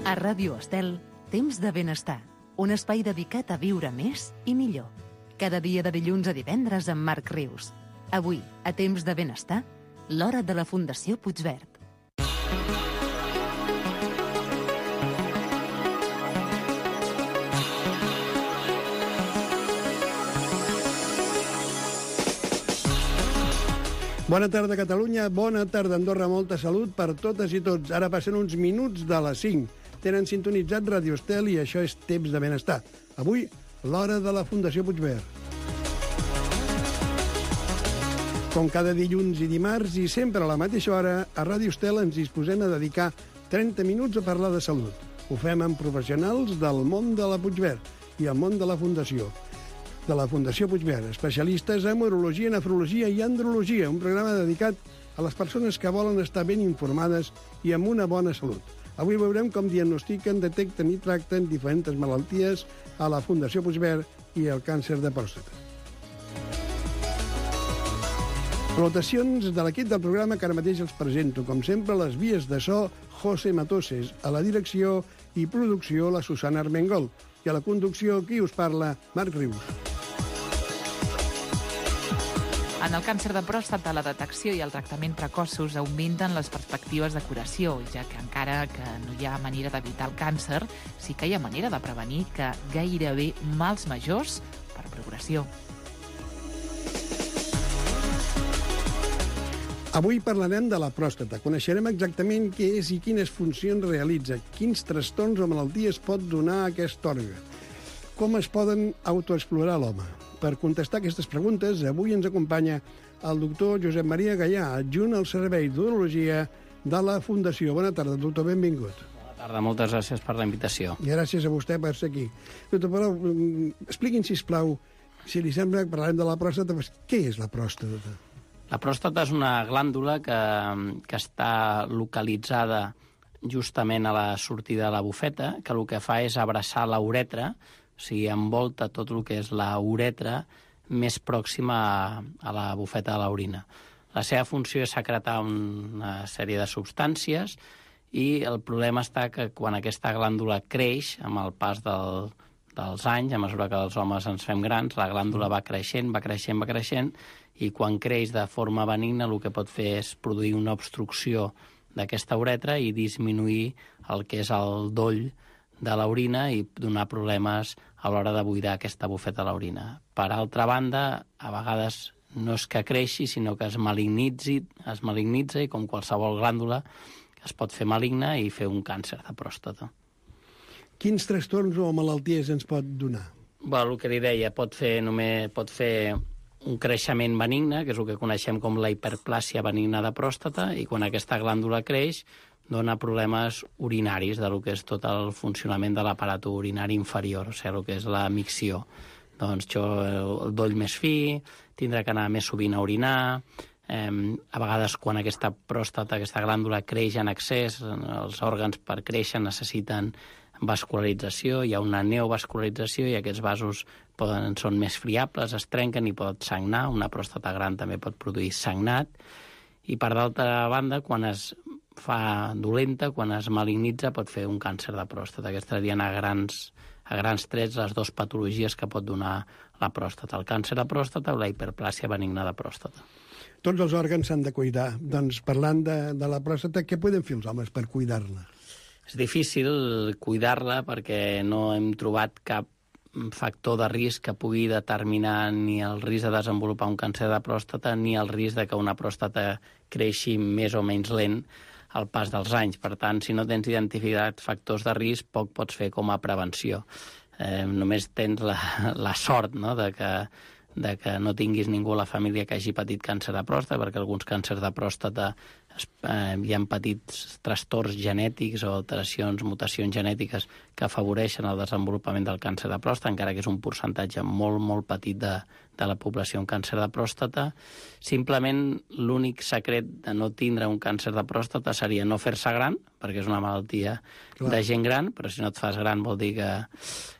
A Ràdio Estel, Temps de Benestar, un espai dedicat a viure més i millor. Cada dia de dilluns a divendres amb Marc Rius. Avui, a Temps de Benestar, l'hora de la Fundació Puigverd. Bona tarda, Catalunya. Bona tarda, Andorra. Molta salut per totes i tots. Ara passen uns minuts de les 5. Tenen sintonitzat Ràdio Estel i això és Temps de Benestar. Avui, l'hora de la Fundació Puigverd. Com cada dilluns i dimarts i sempre a la mateixa hora, a Ràdio Estel ens disposem a dedicar 30 minuts a parlar de salut. Ho fem amb professionals del món de la Puigverd i el món de la Fundació. De la Fundació Puigverd, especialistes en urologia, nefrologia i andrologia, un programa dedicat a les persones que volen estar ben informades i amb una bona salut. Avui veurem com diagnostiquen, detecten i tracten diferents malalties a la Fundació Puigverd i el càncer de pròstata. Salutacions de l'equip del programa que ara mateix els presento. Com sempre, les vies de so, José Matoses, a la direcció i producció, la Susana Armengol, i a la conducció, qui us parla, Marc Rius. En el càncer de pròstata, la detecció i el tractament precoços augmenten les perspectives de curació, ja que encara que no hi ha manera d'evitar el càncer, sí que hi ha manera de prevenir que gairebé mals majors per progressió. Avui parlarem de la pròstata. Coneixerem exactament què és i quines funcions realitza, quins trastorns o malalties pot donar aquest òrgan, com es poden autoexplorar l'home. Per contestar aquestes preguntes, avui ens acompanya el doctor Josep Maria Gallà, adjunt al Servei d'Urologia de la Fundació. Bona tarda, doctor, benvingut. Bona tarda, moltes gràcies per la invitació. I gràcies a vostè per ser aquí. Doctor, però, expliqui'm, sisplau, si li sembla que parlarem de la pròstata, doncs, què és la pròstata? La pròstata és una glàndula que està localitzada justament a la sortida de la bufeta, que el que fa és abraçar la uretra, o sigui, envolta tot el que és la uretra més pròxima a la bufeta de l'orina. La seva funció és secretar una sèrie de substàncies i el problema està que quan aquesta glàndula creix, amb el pas dels anys, a mesura que els homes ens fem grans, la glàndula va creixent, i quan creix de forma benigna el que pot fer és produir una obstrucció d'aquesta uretra i disminuir el que és el doll de l'orina i donar problemes a l'hora de buidar aquesta bufeta de l'orina. Per altra banda, a vegades no és que creixi, sinó que es malignitza i com qualsevol glàndula es pot fer maligna i fer un càncer de pròstata. Quins trastorns o malalties ens pot donar? El que li deia, pot fer un creixement benigne, que és el que coneixem com la hiperplàsia benigna de pròstata, i quan aquesta glàndula creix dona problemes urinaris de lo que és tot el funcionament de l'aparat urinari inferior, o sigui, el que és la micció. Doncs el doll més fi, tindrà que anar més sovint a orinar, a vegades quan aquesta pròstata, aquesta glàndula creix en excés, els òrgans per créixer necessiten vascularització, hi ha una neovascularització i aquests vasos són més friables, es trenquen i pot sagnar, una pròstata gran també pot produir sagnat, i per d'altra banda, quan es fa dolenta, quan es malignitza, pot fer un càncer de pròstata. Aquestes serien a grans trets les dues patologies que pot donar la pròstata, el càncer de pròstata o la hiperplàsia benigna de pròstata. Tots els òrgans s'han de cuidar. Doncs parlant de la pròstata, què poden fer els homes per cuidar-la? És difícil cuidar-la perquè no hem trobat cap factor de risc que pugui determinar ni el risc de desenvolupar un càncer de pròstata ni el risc de que una pròstata creixi més o menys lent al pas dels anys. Per tant, si no tens identificat factors de risc, poc pots fer com a prevenció. Només tens la sort, no?, de que no tinguis ningú a la família que hagi patit càncer de pròstata, perquè alguns càncers de pròstata hi ha petits trastorns genètics o alteracions, mutacions genètiques que afavoreixen el desenvolupament del càncer de pròstata, encara que és un percentatge molt, molt petit de la població amb càncer de pròstata. Simplement l'únic secret de no tindre un càncer de pròstata seria no fer-se gran, perquè és una malaltia de gent gran, però si no et fas gran vol dir que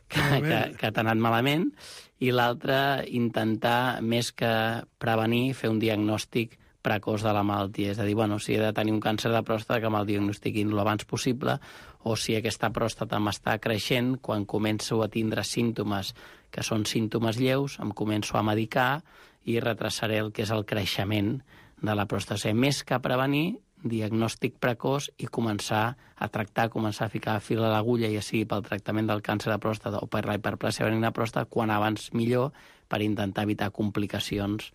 t'ha anat malament, i l'altre, intentar, més que prevenir, fer un diagnòstic precoç de la malaltia. És a dir, si he de tenir un càncer de pròstata, que me'l diagnostiquin l'abans possible, o si aquesta pròstata m'està creixent, quan començo a tindre símptomes que són símptomes lleus, em començo a medicar i retrasaré el que és el creixement de la pròstata. Més que prevenir, diagnòstic precoç i començar a tractar, començar a ficar fil a l'agulla, ja sigui pel tractament del càncer de pròstata o per la hiperplàsia benigna de pròstata, quan abans millor, per intentar evitar complicacions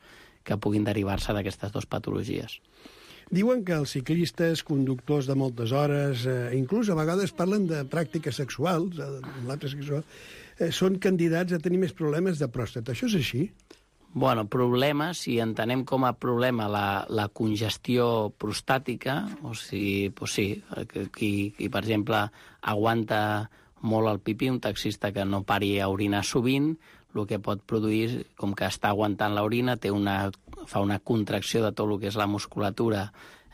que puguin derivar-se d'aquestes dues patologies. Diuen que els ciclistes, conductors de moltes hores, inclús a vegades parlen de pràctiques sexuals, són candidats a tenir més problemes de pròstata. Això és així? Problemes, si entenem com a problema la congestió prostàtica, o sigui, sí, qui, per exemple, aguanta molt el pipí, un taxista que no pari a orinar sovint, el que pot produir, com que està aguantant l'orina, fa una contracció de tot el que és la musculatura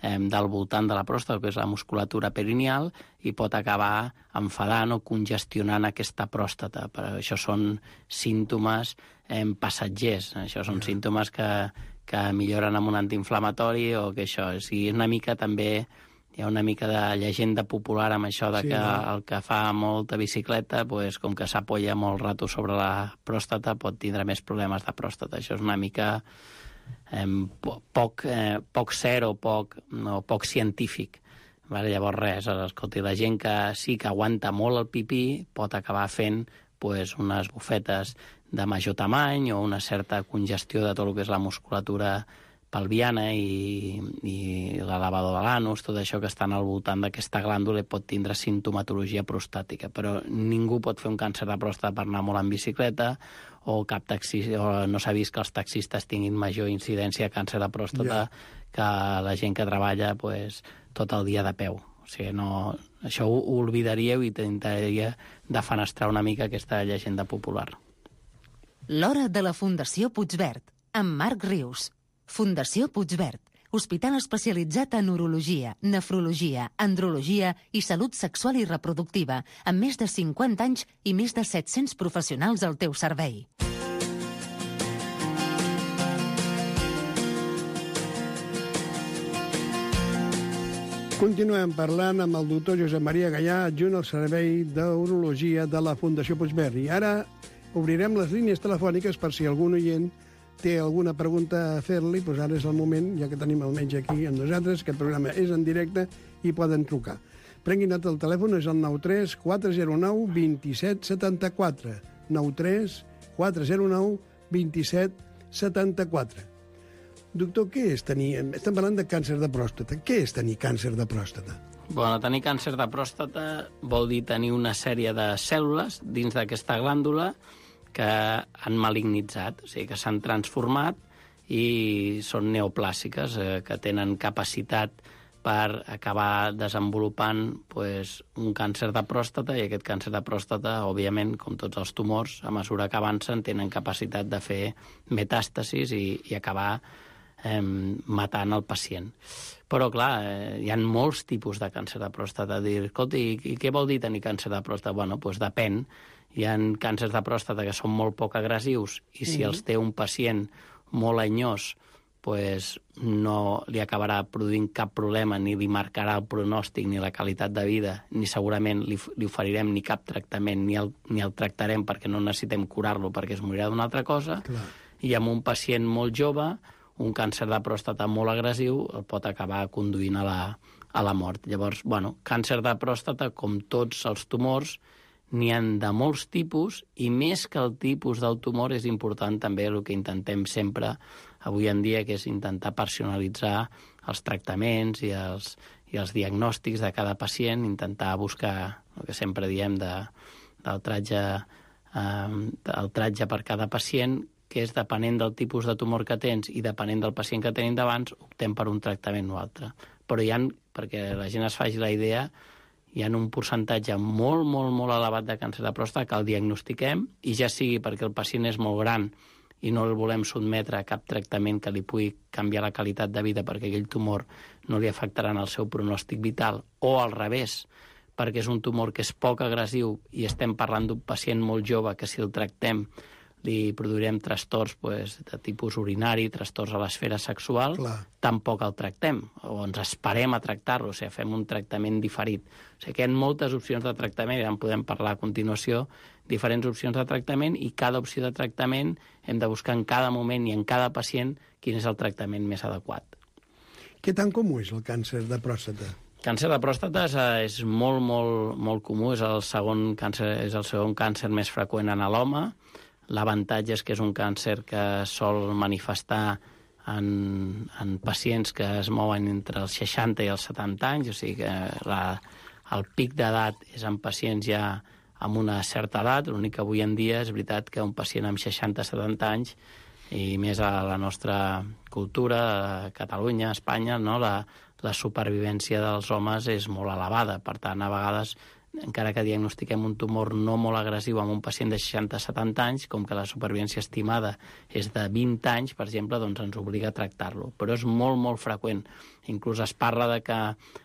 del voltant de la pròstata, que és la musculatura perineal, i pot acabar enfadant o congestionant aquesta pròstata. Per això són símptomes passatgers. Això són símptomes que milloren amb un antiinflamatori o que això. O sigui, una mica també hi ha una mica de llegenda popular amb això de que el que fa molta bicicleta, com que s'apoya molt rato sobre la pròstata, pot tindre més problemes de pròstata. Això és una mica poc ser o poc científic. Llavors res, escolti, la gent que sí que aguanta molt el pipí pot acabar fent unes bufetes de major tamany o una certa congestió de tot el que és la musculatura pelviana i l'elevador de l'anus, tot això que estan al voltant d'aquesta glàndula pot tindre simptomatologia prostàtica, però ningú pot fer un càncer de pròstata per anar molt en bicicleta o no s'ha vist que els taxistes tinguin major incidència de càncer de pròstata que la gent que treballa tot el dia de peu. O sigui, això ho oblidaríeu i intentaria defenestrar una mica aquesta llegenda popular. L'hora de la Fundació Puigverd, amb Marc Rius. Fundació Puigverd, hospital especialitzat en urologia, nefrologia, andrologia i salut sexual i reproductiva, amb més de 50 anys i més de 700 professionals al teu servei. Continuem parlant amb el doctor Josep Maria Gallà, adjunt al Servei d'Urologia de la Fundació Puigverd. I ara obrirem les línies telefòniques per si algun oient té alguna pregunta a fer-li, doncs ara és el moment, ja que tenim el metge aquí amb nosaltres, aquest programa és en directe i poden trucar. Prenguin nota, el telèfon és el 93 409 27 74. 93 409 27 74. Doctor, què és tenir... Estem parlant de càncer de pròstata. Què és tenir càncer de pròstata? Tenir càncer de pròstata vol dir tenir una sèrie de cèl·lules dins d'aquesta glàndula que han malignitzat, o sigui, que s'han transformat i són neoplàsiques, que tenen capacitat per acabar desenvolupant un càncer de pròstata, i aquest càncer de pròstata, òbviament, com tots els tumors, a mesura que avancen, tenen capacitat de fer metàstasis i acabar matant el pacient. Però, clar, hi ha molts tipus de càncer de pròstata. Escolti, i què vol dir tenir càncer de pròstata? Doncs depèn. Hi ha càncers de pròstata que són molt poc agressius i si els té un pacient molt anyós, no li acabarà produint cap problema, ni li marcarà el pronòstic, ni la qualitat de vida, ni segurament li oferirem ni cap tractament, ni el tractarem perquè no necessitem curar-lo perquè es morirà d'una altra cosa. Clar. I amb un pacient molt jove, un càncer de pròstata molt agressiu el pot acabar conduint a la mort. Llavors, càncer de pròstata, com tots els tumors, n'hi ha de molts tipus, i més que el tipus del tumor és important també el que intentem sempre avui en dia, que és intentar personalitzar els tractaments i els diagnòstics de cada pacient, intentar buscar el que sempre diem del tratge per cada pacient, que és depenent del tipus de tumor que tens i depenent del pacient que tenim davant, optem per un tractament o altre. Però perquè la gent es faci la idea, hi ha un percentatge molt, molt, molt elevat de càncer de pròstata que el diagnostiquem, i ja sigui perquè el pacient és molt gran i no el volem sotmetre a cap tractament que li pugui canviar la qualitat de vida perquè aquell tumor no li afectarà en el seu pronòstic vital, o al revés, perquè és un tumor que és poc agressiu i estem parlant d'un pacient molt jove que si el tractem li produirem trastorns de tipus urinari, trastorns a l'esfera sexual, tampoc el tractem, o ens esperem a tractar-lo, o sigui, fem un tractament diferit. O sigui, que hi ha moltes opcions de tractament, ja en podem parlar a continuació, diferents opcions de tractament, i cada opció de tractament hem de buscar en cada moment i en cada pacient quin és el tractament més adequat. Què tan comú és el càncer de pròstata? Càncer de pròstata és molt, molt, molt comú, és el segon càncer més freqüent en l'home. L'avantatge és que és un càncer que sol manifestar en pacients que es mouen entre els 60 i els 70 anys, o sigui que el pic d'edat és en pacients ja amb una certa edat. L'únic que avui en dia és veritat que un pacient amb 60-70 anys, i més a la nostra cultura, a Catalunya, a Espanya, no? La supervivència dels homes és molt elevada. Per tant, a vegades, encara que diagnostiquem un tumor no molt agressiu amb un pacient de 60-70 anys, com que la supervivència estimada és de 20 anys, per exemple, doncs ens obliga a tractar-lo. Però és molt, molt freqüent. Inclús es parla de que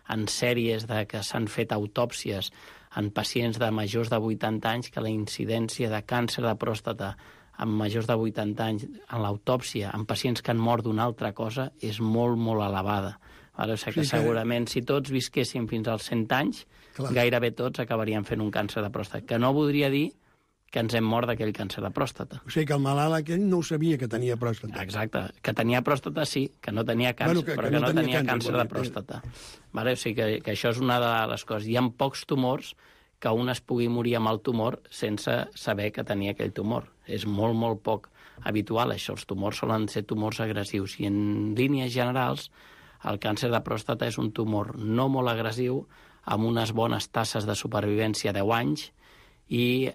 en sèries de que s'han fet autòpsies en pacients de majors de 80 anys, que la incidència de càncer de pròstata en majors de 80 anys en l'autòpsia, en pacients que han mort d'una altra cosa, és molt, molt elevada. O sigui que segurament si tots visquéssim fins als 100 anys, gairebé tots acabarien fent un càncer de pròstata, que no voldria dir que ens hem mort d'aquell càncer de pròstata. O sigui que el malalt aquell no ho sabia que tenia pròstata. Exacte. Que tenia pròstata sí, que no tenia càncer, però que no tenia càncer de pròstata. O sigui que això és una de les coses. Hi ha pocs tumors que un es pugui morir amb el tumor sense saber que tenia aquell tumor. És molt, molt poc habitual això. Els tumors solen ser tumors agressius i en línies generals el càncer de pròstata és un tumor no molt agressiu, amb unes bones tasses de supervivència a 10 anys i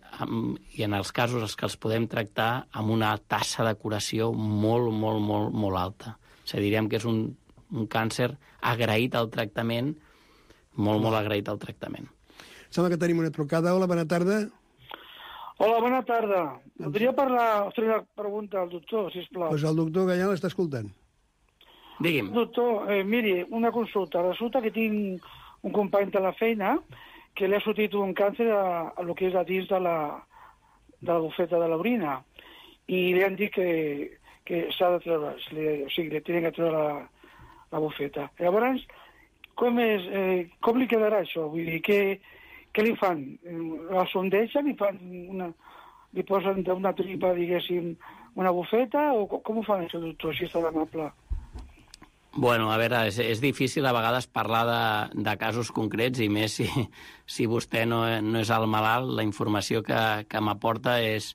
en els casos que els podem tractar amb una tassa de curació molt, molt, molt, molt alta. O sigui, diríem que és un càncer agraït al tractament, molt, molt agraït al tractament. Sembla que tenim una trucada. Hola, bona tarda. Hola, bona tarda. Podria fer una pregunta al doctor, sisplau? Doncs el doctor Gallà l'està escoltant. Digui'm. Doctor, miri, una consulta. Resulta que tinc un company de la feina que li ha sortit un càncer a lo que és a dins de la bufeta de l'orina i li han dit que s'ha de treure, o sigui, li tenen que treure la bufeta. Llavors, com li quedarà això? Vull dir, què li fan? La sondeixen li posen d'una tripa, diguéssim, una bufeta, o com ho fan això, doctor, si està amable? Bueno, a veure, és difícil a vegades parlar de casos concrets, i més si vostè no és el malalt, la informació que m'aporta és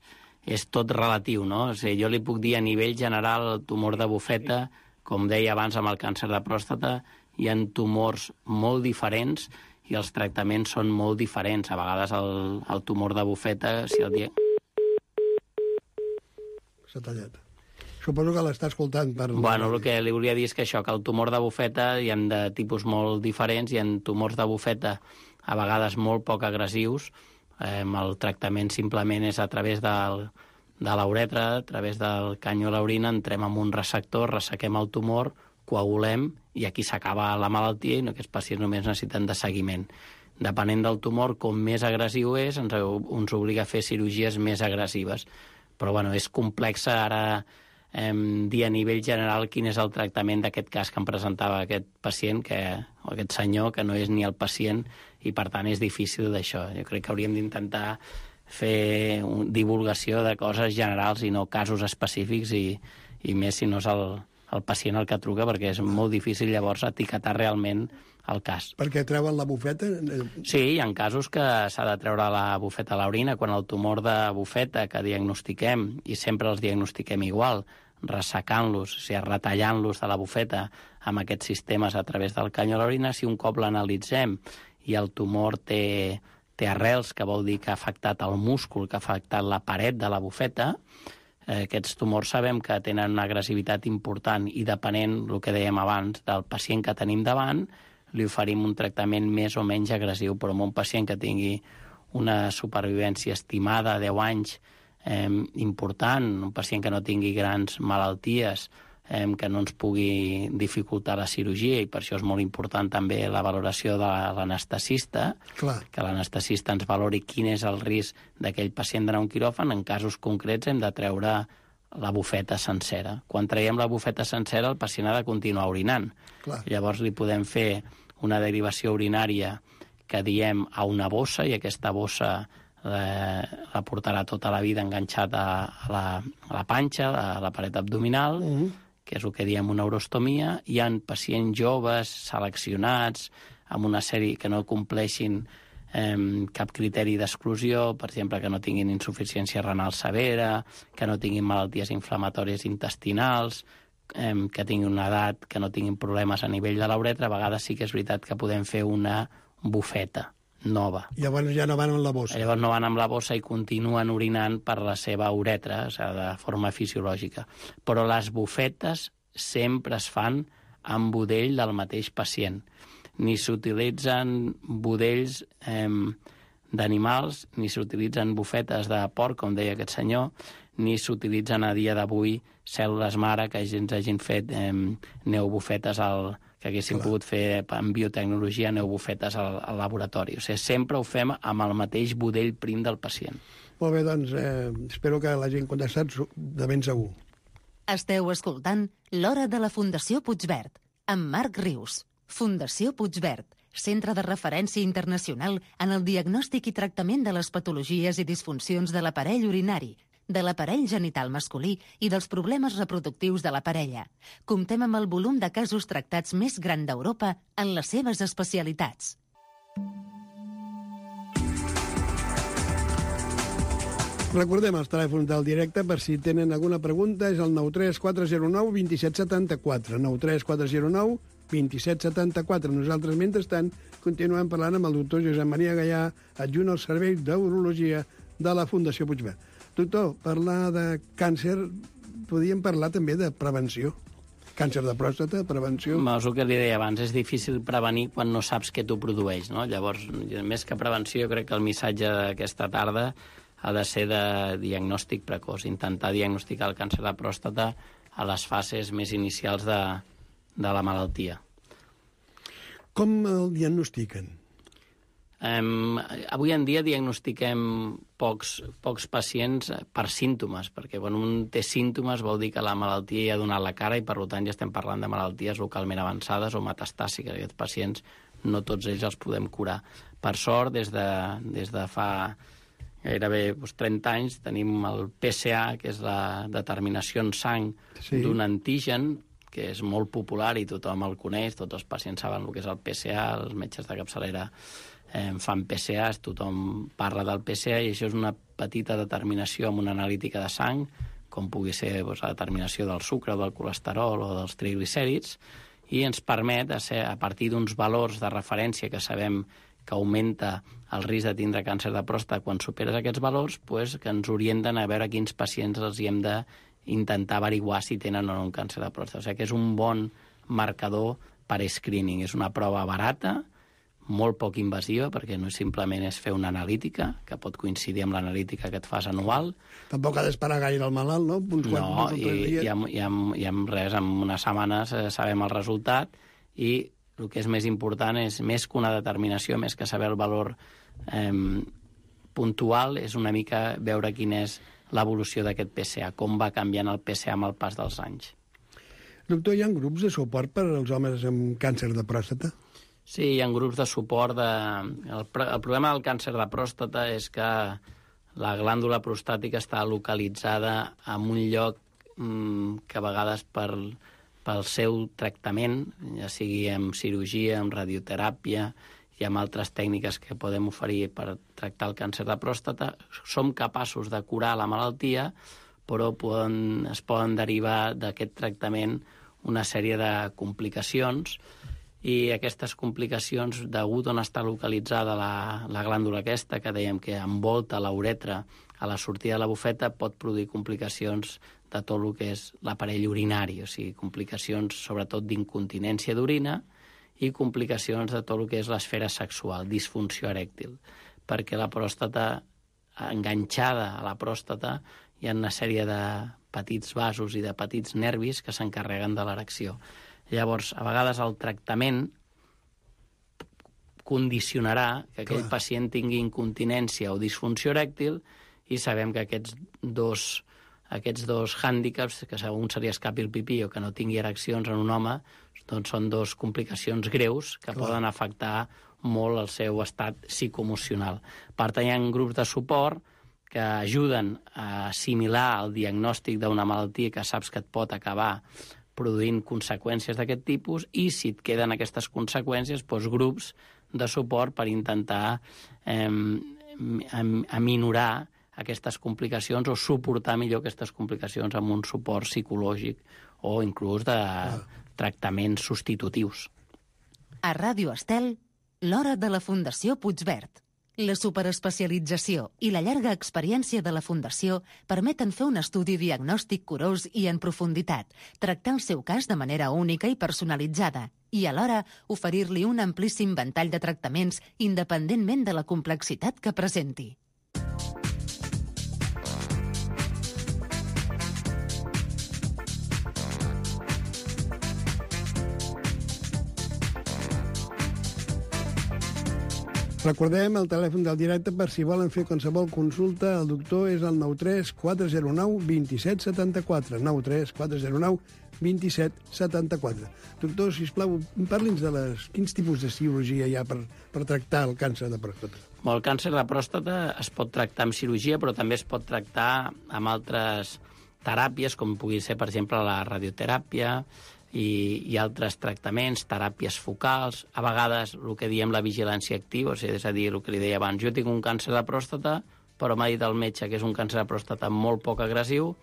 tot relatiu, no? O sigui, jo li puc dir a nivell general el tumor de bufeta, com deia abans amb el càncer de pròstata, hi ha tumors molt diferents i els tractaments són molt diferents. A vegades el tumor de bufeta, si el dia... S'ha tallat. Suposo que l'està escoltant. Bueno, el que li volia dir és que això, que el tumor de bufeta hi ha de tipus molt diferents, hi ha tumors de bufeta a vegades molt poc agressius. El tractament simplement és a través de la uretra, a través del canyó a l'orina, entrem en un receptor, ressequem el tumor, coagulem, i aquí s'acaba la malaltia i aquests pacients només necessiten de seguiment. Depenent del tumor, com més agressiu és, ens obliga a fer cirurgies més agressives. Però bueno, és complex ara dir a nivell general quin és el tractament d'aquest cas que em presentava aquest pacient, o aquest senyor, que no és ni el pacient, i per tant és difícil d'això. Jo crec que hauríem d'intentar fer divulgació de coses generals i no casos específics, i més si no és el pacient el que truca, perquè és molt difícil llavors etiquetar realment el cas. Perquè treuen la bufeta? Sí, hi ha casos que s'ha de treure la bufeta a l'orina. Quan el tumor de bufeta que diagnostiquem, i sempre els diagnostiquem igual, ressecant-los, o sigui, retallant-los de la bufeta amb aquests sistemes a través del canyó a l'orina, si un cop l'analitzem i el tumor té arrels, que vol dir que ha afectat el múscul, que ha afectat la paret de la bufeta, aquests tumors sabem que tenen una agressivitat important, i depenent, el que dèiem abans, del pacient que tenim davant, li oferim un tractament més o menys agressiu. Però amb un pacient que tingui una supervivència estimada a 10 anys important, un pacient que no tingui grans malalties, que no ens pugui dificultar la cirurgia, i per això és molt important també la valoració de l'anestesista, que l'anestesista ens valori quin és el risc d'aquell pacient d'anar a un quiròfan. En casos concrets hem de treure la bufeta sencera. Quan traiem la bufeta sencera, el pacient ha de continuar orinant. Llavors li podem fer una derivació urinària que diem a una bossa, i aquesta bossa la portarà tota la vida enganxat a la panxa, a la paret abdominal, que és el que diem una urostomia. Hi ha pacients joves, seleccionats, amb una sèrie que no compleixin cap criteri d'exclusió, per exemple, que no tinguin insuficiència renal severa, que no tinguin malalties inflamatòries intestinals, que tinguin una edat, que no tinguin problemes a nivell de la uretra. A vegades sí que és veritat que podem fer una bufeta nova. Llavors ja no van amb la bossa. Llavors no van amb la bossa i continuen orinant per la seva uretra, o sigui, de forma fisiològica. Però les bufetes sempre es fan amb budell del mateix pacient. Ni s'utilitzen budells d'animals, ni s'utilitzen bufetes de porc, com deia aquest senyor, ni s'utilitzen a dia d'avui cèl·lules mare que ens hagin fet neobufetes que haguéssim pogut fer en biotecnologia, neobufetes al laboratori. O sigui, sempre ho fem amb el mateix budell prim del pacient. Molt bé, doncs espero que l'hagin contestat de ben segur. Esteu escoltant L'Hora de la Fundació Puigverd, amb Marc Rius. Fundació Puigverd, centre de referència internacional en el diagnòstic i tractament de les patologies i disfuncions de l'aparell urinari, de l'aparell genital masculí i dels problemes reproductius de la parella. Comptem amb el volum de casos tractats més gran d'Europa en les seves especialitats. Recordem els telèfons del directe per si tenen alguna pregunta. És el 93409 2774. 93409 2774. Nosaltres, mentrestant, continuem parlant amb el doctor Josep Maria Gallà, adjunt al Servei d'Urologia de la Fundació Puigverd. Doctor, parlar de càncer, podíem parlar també de prevenció. Càncer de pròstata, prevenció... És el que li deia abans, és difícil prevenir quan no saps què t'ho produeix, no? Llavors, més que prevenció, jo crec que el missatge d'aquesta tarda ha de ser de diagnòstic precoç, intentar diagnosticar el càncer de pròstata a les fases més inicials de la malaltia. Com el diagnostiquen? Avui en dia diagnostiquem pocs pacients per símptomes, perquè quan un té símptomes vol dir que la malaltia ja ha donat la cara i, per tant, ja estem parlant de malalties localment avançades o metastàsiques. Aquests pacients no tots ells els podem curar. Per sort, des de fa gairebé 30 anys tenim el PSA, que és la determinació en sang d'un antigen, que és molt popular i tothom el coneix, tots els pacients saben el que és el PSA, els metges de capçalera fan PSAs, tothom parla del PSA, i això és una petita determinació amb una analítica de sang, com pugui ser la determinació del sucre, del colesterol o dels triglicèrids, i ens permet, a partir d'uns valors de referència que sabem que augmenta el risc de tindre càncer de pròstata quan superes aquests valors, que ens orienten a veure quins pacients els hi hem d'intentar averiguar si tenen o no un càncer de pròstata. O sigui que és un bon marcador per screening. És una prova barata, molt poc invasiva, perquè no simplement és fer una analítica, que pot coincidir amb l'analítica que et fas anual. Tampoc ha d'esperar gaire el malalt, no? No, i amb res, en unes setmanes sabem el resultat, i el que és més important és, més que una determinació, més que saber el valor puntual, és una mica veure quina és l'evolució d'aquest PSA, com va canviant el PSA amb el pas dels anys. Doctor, hi ha grups de suport per als homes amb càncer de pròstata? Sí, hi ha grups de suport. El problema del càncer de pròstata és que la glàndula prostàtica està localitzada en un lloc que a vegades pel seu tractament, ja sigui amb cirurgia, amb radioteràpia i amb altres tècniques que podem oferir per tractar el càncer de pròstata, som capaços de curar la malaltia, però es poden derivar d'aquest tractament una sèrie de complicacions, i aquestes complicacions, degut on està localitzada la glàndula aquesta, que dèiem que envolta la uretra a la sortida de la bufeta, pot produir complicacions de tot el que és l'aparell urinari, o sigui, complicacions sobretot d'incontinència d'orina i complicacions de tot el que és l'esfera sexual, disfunció erèctil, perquè la pròstata, enganxada a la pròstata, hi ha una sèrie de petits vasos i de petits nervis que s'encarreguen de l'erecció. Llavors, a vegades el tractament condicionarà que aquell pacient tingui incontinència o disfunció erèctil, i sabem que aquests dos hàndicaps, que un se li escapi el pipí o que no tingui ereccions en un home, doncs són dos complicacions greus que poden afectar molt el seu estat psicoemocional. Per tant, hi ha grups de suport que ajuden a assimilar el diagnòstic d'una malaltia que saps que et pot acabar produint conseqüències d'aquest tipus, i si et queden aquestes conseqüències, doncs grups de suport per intentar aminorar aquestes complicacions o suportar millor aquestes complicacions amb un suport psicològic o inclús de tractaments substitutius. A Ràdio Estel, l'hora de la Fundació Puigverd. La superespecialització i la llarga experiència de la Fundació permeten fer un estudi diagnòstic curós i en profunditat, tractar el seu cas de manera única i personalitzada i alhora oferir-li un amplíssim ventall de tractaments independentment de la complexitat que presenti. Recordem el telèfon del directe per si volen fer qualsevol consulta. El doctor és el 93 409 2774. 93 409 2774. Doctor, sisplau, parli'ns de quins tipus de cirurgia hi ha per tractar el càncer de pròstata. El càncer de pròstata es pot tractar amb cirurgia, però també es pot tractar amb altres teràpies, com pugui ser, per exemple, la radioteràpia, i altres tractaments, teràpies focals, a vegades el que diem la vigilància activa, és a dir, el que li deia abans, jo tinc un càncer de pròstata, però m'ha dit el metge que és un càncer de pròstata molt poc agressiu,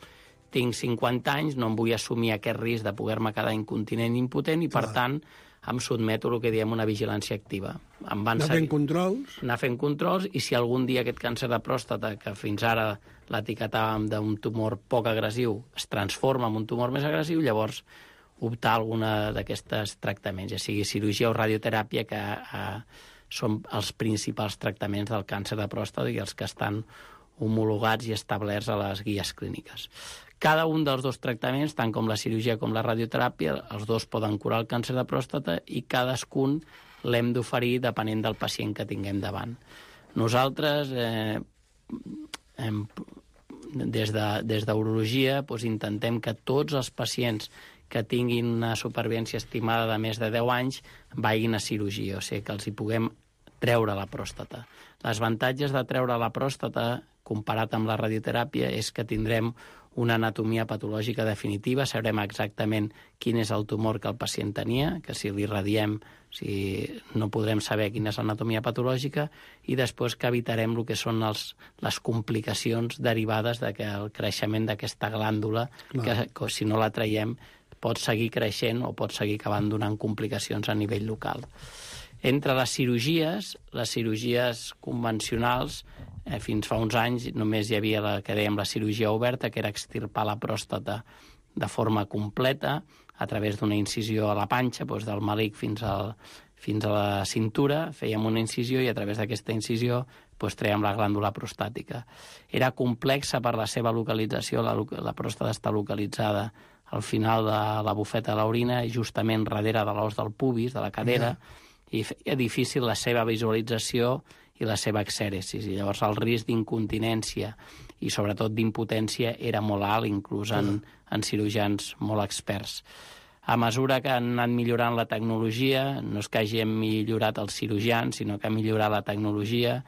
tinc 50 anys, no em vull assumir aquest risc de poder-me quedar incontinent i impotent, i per tant em sotmeto a el que diem una vigilància activa. Anar fent controls. Anar fent controls, i si algun dia aquest càncer de pròstata, que fins ara l'etiquetàvem d'un tumor poc agressiu, es transforma en un tumor més agressiu, llavors optar a alguna d'aquestes tractaments, ja sigui cirurgia o radioteràpia, que són els principals tractaments del càncer de pròstata i els que estan homologats i establerts a les guies clíniques. Cada un dels dos tractaments, tant com la cirurgia com la radioteràpia, els dos poden curar el càncer de pròstata, i cadascun l'hem d'oferir depenent del pacient que tinguem davant. Nosaltres, des d'urologia, intentem que tots els pacients que tinguin una supervivència estimada de més de 10 anys vagin a cirurgia, o sigui, que els hi puguem treure la pròstata. Els avantatges de treure la pròstata, comparat amb la radioteràpia, és que tindrem una anatomia patològica definitiva, sabrem exactament quin és el tumor que el pacient tenia, que si li radiem no podrem saber quina és l'anatomia patològica, i després que evitarem el que són les complicacions derivades del creixement d'aquesta glàndula, que si no la traiem pot seguir creixent o pot seguir acabant donant complicacions a nivell local. Entre les cirurgies convencionals, fins fa uns anys només hi havia la que dèiem la cirurgia oberta, que era extirpar la pròstata de forma completa a través d'una incisió a la panxa, del melic fins a la cintura, fèiem una incisió i a través d'aquesta incisió trèiem la glàndula prostàtica. Era complexa per la seva localització, la pròstata està localitzada al final de la bufeta de l'orina, justament darrere de l'os del pubis, de la cadera, i feia difícil la seva visualització i la seva exèresi. I llavors el risc d'incontinència i sobretot d'impotència era molt alt, inclús en cirurgians molt experts. A mesura que han anat millorant la tecnologia, no és que hagin millorat els cirurgians, sinó que ha millorat la tecnologia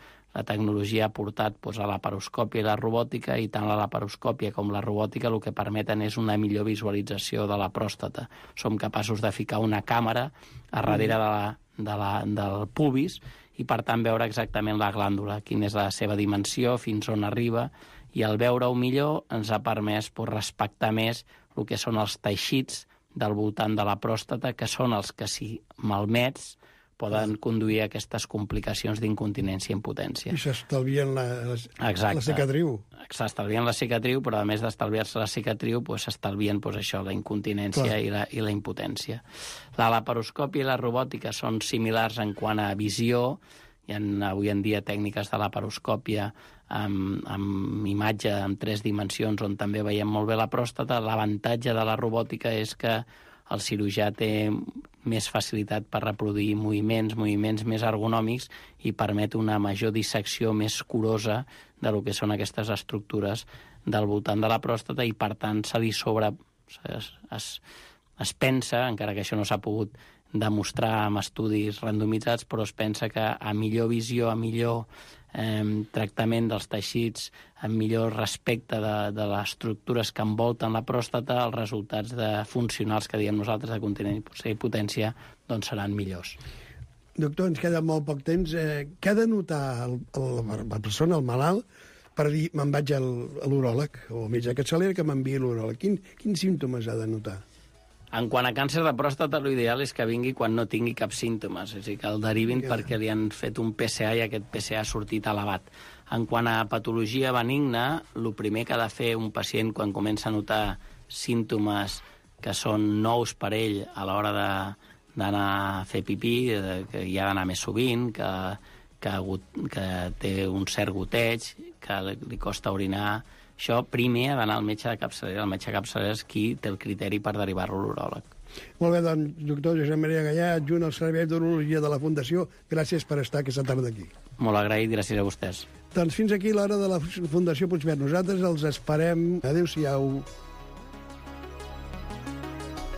ha portat a la laparoscòpia i la robòtica, i tant la laparoscòpia com la robòtica el que permeten és una millor visualització de la pròstata. Som capaços de ficar una càmera a darrere del pubis i, per tant, veure exactament la glàndula, quina és la seva dimensió, fins on arriba, i al veure-ho millor ens ha permès respectar més el que són els teixits del voltant de la pròstata, que són els que, si malmets, poden conduir a aquestes complicacions d'incontinència i impotència. I s'estalvien la cicatriu. S'estalvien la cicatriu, però a més d'estalviar-se la cicatriu, s'estalvien la incontinència i la impotència. La laparoscòpia i la robòtica són similars en quant a visió. Hi ha avui en dia tècniques de laparoscòpia amb imatge en 3 dimensions, on també veiem molt bé la pròstata. L'avantatge de la robòtica és que el cirurgià té més facilitat per reproduir moviments més ergonòmics i permet una major dissecció més curosa de lo que són aquestes estructures del voltant de la pròstata, i per tant es pensa, encara que això no s'ha pogut demostrar amb estudis randomitzats, però es pensa que a millor visió, a millor tractament dels teixits, amb millor respecte de les estructures que envolten la pròstata, els resultats funcionals que diem nosaltres de continència i potència doncs seran millors. Doctor, ens queda molt poc temps. Què ha de notar la persona, el malalt, per dir me'n vaig a l'uròleg o al metge de capçalera que m'enviï l'uròleg? Quins símptomes ha de notar? En quant a càncer de pròstata, l'ideal és que vingui quan no tingui cap símptomes, és a dir, que el derivin perquè li han fet un PSA i aquest PSA ha sortit elevat. En quant a patologia benigna, el primer que ha de fer un pacient quan comença a notar símptomes que són nous per ell a l'hora d'anar a fer pipí, que hi ha d'anar més sovint, que té un cert goteig, que li costa orinar. Això primer ha d'anar al metge de capçalera. El metge de capçalera és qui té el criteri per derivar-lo a l'uròleg. Molt bé, doncs, doctor Josep Maria Gallà, adjunt al Servei d'Urologia de la Fundació, gràcies per estar aquesta tarda aquí. Molt agraït, gràcies a vostès. Doncs fins aquí l'hora de la Fundació Puigverd. Nosaltres els esperem. Adéu-siau.